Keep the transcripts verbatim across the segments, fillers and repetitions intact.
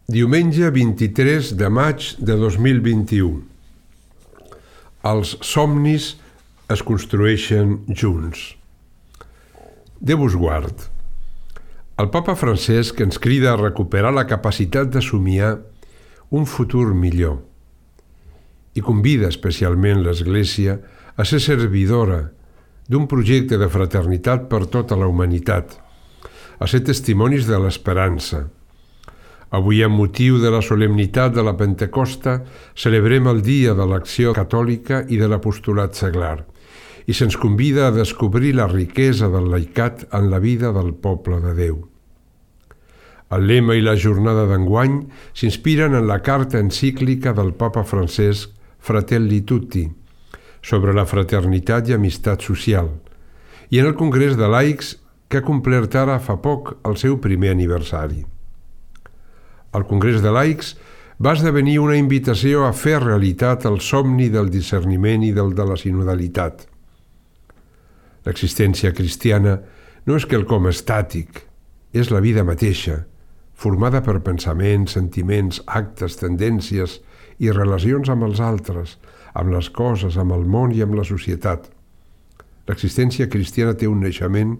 Diumenge vint-i-tres de maig de dos mil vint-i-u. Els somnis es construeixen junts. Déu us guard. El papa Francesc ens crida a recuperar la capacitat de somiar un futur millor i convida especialment l'Església a ser servidora d'un projecte de fraternitat per tota la humanitat, a ser testimonis de l'esperança. Avui, amb motiu de la solemnitat de la Pentecosta, celebrem el dia de l'acció catòlica i de l'apostolat seglar, i se'ns convida a descobrir la riquesa del laicat en la vida del poble de Déu. El lema i la jornada d'enguany s'inspiren en la carta encíclica del papa Francesc Fratelli Tutti, sobre la fraternitat i amistat social, i en el Congrés de Laics que ha complert ara fa poc el seu primer aniversari. El Congrés de Laics va esdevenir una invitació a fer realitat el somni del discerniment i del de la sinodalitat. L'existència cristiana no és quelcom estàtic, és la vida mateixa, formada per pensaments, sentiments, actes, tendències i relacions amb els altres, amb les coses, amb el món i amb la societat. L'existència cristiana té un naixement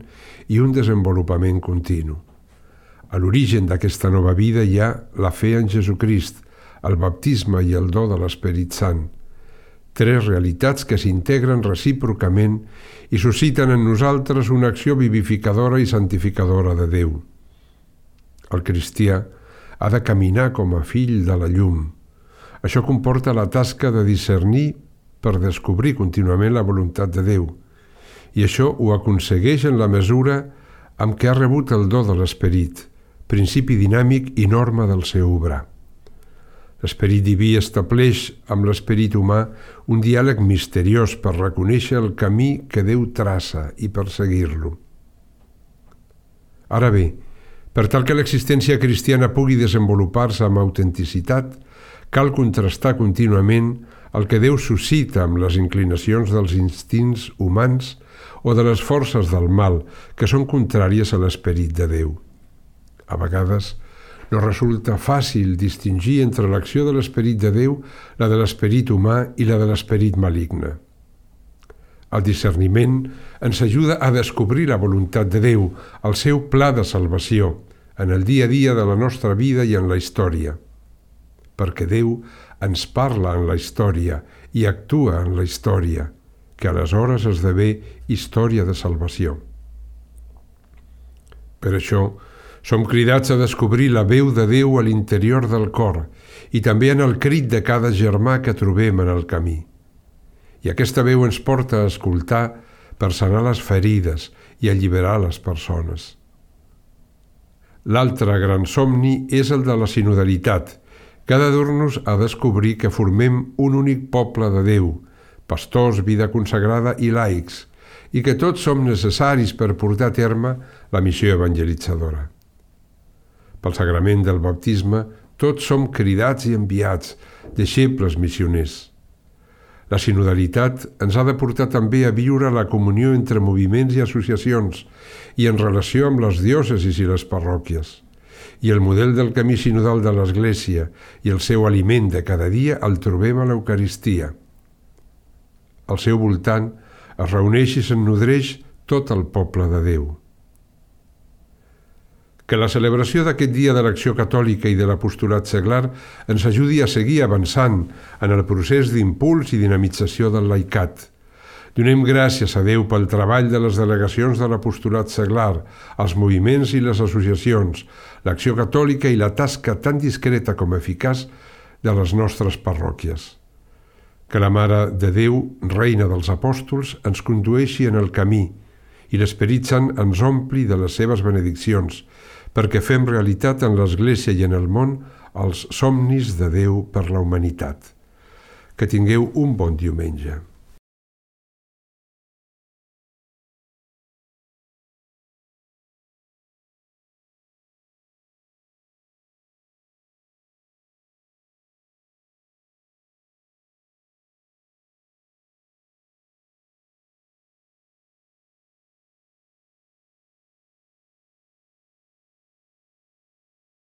i un desenvolupament continu. A l'origen d'aquesta nova vida hi ha la fe en Jesucrist, el baptisme i el do de l'Esperit Sant, tres realitats que s'integren recíprocament i susciten en nosaltres una acció vivificadora i santificadora de Déu. El cristià ha de caminar com a fill de la llum. Això comporta la tasca de discernir per descobrir contínuament la voluntat de Déu, i això ho aconsegueix en la mesura amb què ha rebut el do de l'Esperit, principi dinàmic i norma del seu obrar. L'esperit diví estableix amb l'esperit humà un diàleg misteriós per reconèixer el camí que Déu traça i per seguir-lo. Ara bé, per tal que l'existència cristiana pugui desenvolupar-se amb autenticitat, cal contrastar contínuament el que Déu suscita amb les inclinacions dels instints humans o de les forces del mal, que són contràries a l'esperit de Déu. A vegades no resulta fàcil distingir entre l'acció de l'esperit de Déu, la de l'esperit humà i la de l'esperit maligne. El discerniment ens ajuda a descobrir la voluntat de Déu, el seu pla de salvació, en el dia a dia de la nostra vida i en la història. Perquè Déu ens parla en la història i actua en la història, que aleshores esdevé història de salvació. Per això, som cridats a descobrir la veu de Déu a l'interior del cor i també en el crit de cada germà que trobem en el camí. I aquesta veu ens porta a escoltar per sanar les ferides i alliberar les persones. L'altre gran somni és el de la sinodalitat, que ha de dur-nos a descobrir que formem un únic poble de Déu, pastors, vida consagrada i laics, i que tots som necessaris per portar a terme la missió evangelitzadora. Pel sagrament del baptisme, tots som cridats i enviats, deixebles missioners. La sinodalitat ens ha de portar també a viure la comunió entre moviments i associacions i en relació amb les diòcesis i les parròquies. I el model del camí sinodal de l'Església i el seu aliment de cada dia el trobem a l'Eucaristia. Al seu voltant es reuneix i s'ennodreix tot el poble de Déu. Que la celebració d'aquest dia de l'acció catòlica i de l'apostolat seglar ens ajudi a seguir avançant en el procés d'impuls i dinamització del laicat. Donem gràcies a Déu pel treball de les delegacions de l'apostolat seglar, els moviments i les associacions, l'acció catòlica i la tasca tan discreta com eficaç de les nostres parròquies. Que la Mare de Déu, Reina dels Apòstols, ens condueixi en el camí i l'Esperit Sant ens ompli de les seves benediccions, perquè fem realitat en l'Església i en el món els somnis de Déu per la humanitat. Que tingueu un bon diumenge.